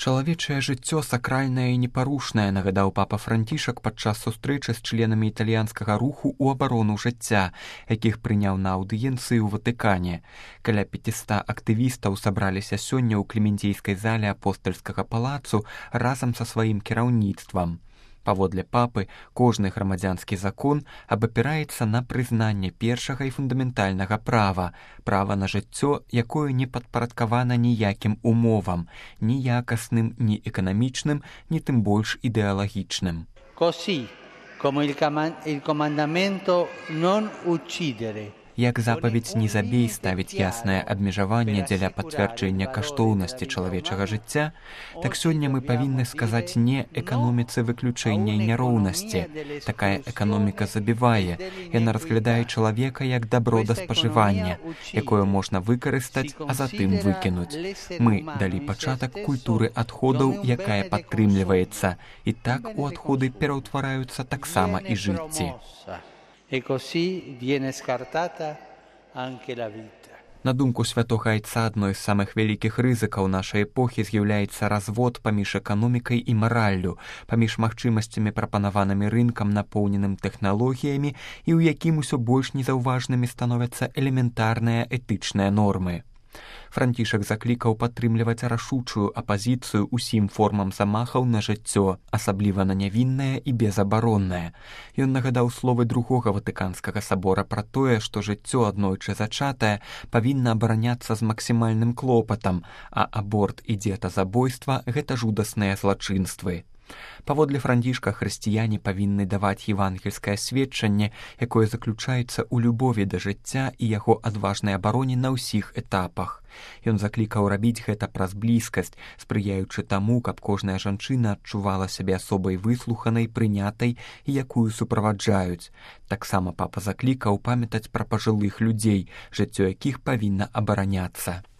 Чалавечае жыццё сакральнае і непарушнае, нагадаў папа Францішак падчас сустрэчы з членамі італьянскага руху ў абарону жыцця, якіх прыняў на аўдыенцыі ў Ватыкане. Каля 500 актывістаў сабраліся сёння ў клементійскай зале апостальскага палацу разам са сваім кіраўніцтвам. Паводле папы, кожны грамадзянскі закон абапіраецца на прызнанне першага і фундаментальнага права, права на жыццё, якое не падпарадкавана ніякім умовам, ні якасным, ні эканамічным, ні тым больш ідэалагічным. Così come il comandamento non uccidere. Як запаведь «не забей» ставіць яснае абмежаванне дзеля пацвярджэння каштоўнасці чалавечага жыцця, так сёння мы павінны сказаць «не» эканоміцы выключэння і няроўнасці. Такая эканоміка забівае, яна разглядае чалавека як дабро да спажывання, якое можна выкарыстаць, а затым выкінуць. Мы далі пачатак культуры адходаў, якая падтрымліваецца, і так у адходы пераўтвараюцца таксама і жыцці. E così viene scartata anche la vita. На думку святога айца, адной з самых вялікіх рызыкаў нашай эпохі з'яўляецца развод паміж эканомікай і мараллю, паміж магчымасцямі, прапанаванымі рынкам, напоўненым тэхналогіямі, і ў якім усё больш незаўважнымі становяцца элементарныя этычныя нормы. Францішак заклікаў падтрымліваць рашучую апазіцыю ўсім формам замахаў на жыццё, асабліва на нявіннае і безабароннае. Ён нагадаў словы другога Ватыканскага сабора пра тое, што жыццё аднойчы зачатае павінна абараняцца з максімальным клопатам, а аборт і дзетазабойства – гэта жудасныя злачынствы. Паводле Францішка, хрысціяне павінны даваць евангельскае сведчанне, якое заключаецца ў любові да жыцця і яго адважнай абароне на ўсіх этапах. Ён заклікаў рабіць гэта праз блізкасць, спрыяючы таму, каб кожная жанчына адчувала сябе асобай выслуханай, прынятай і якую суправаджаюць. Таксама папа заклікаў памятаць пра пажылых людзей, жыццё якіх павінна абараняцца.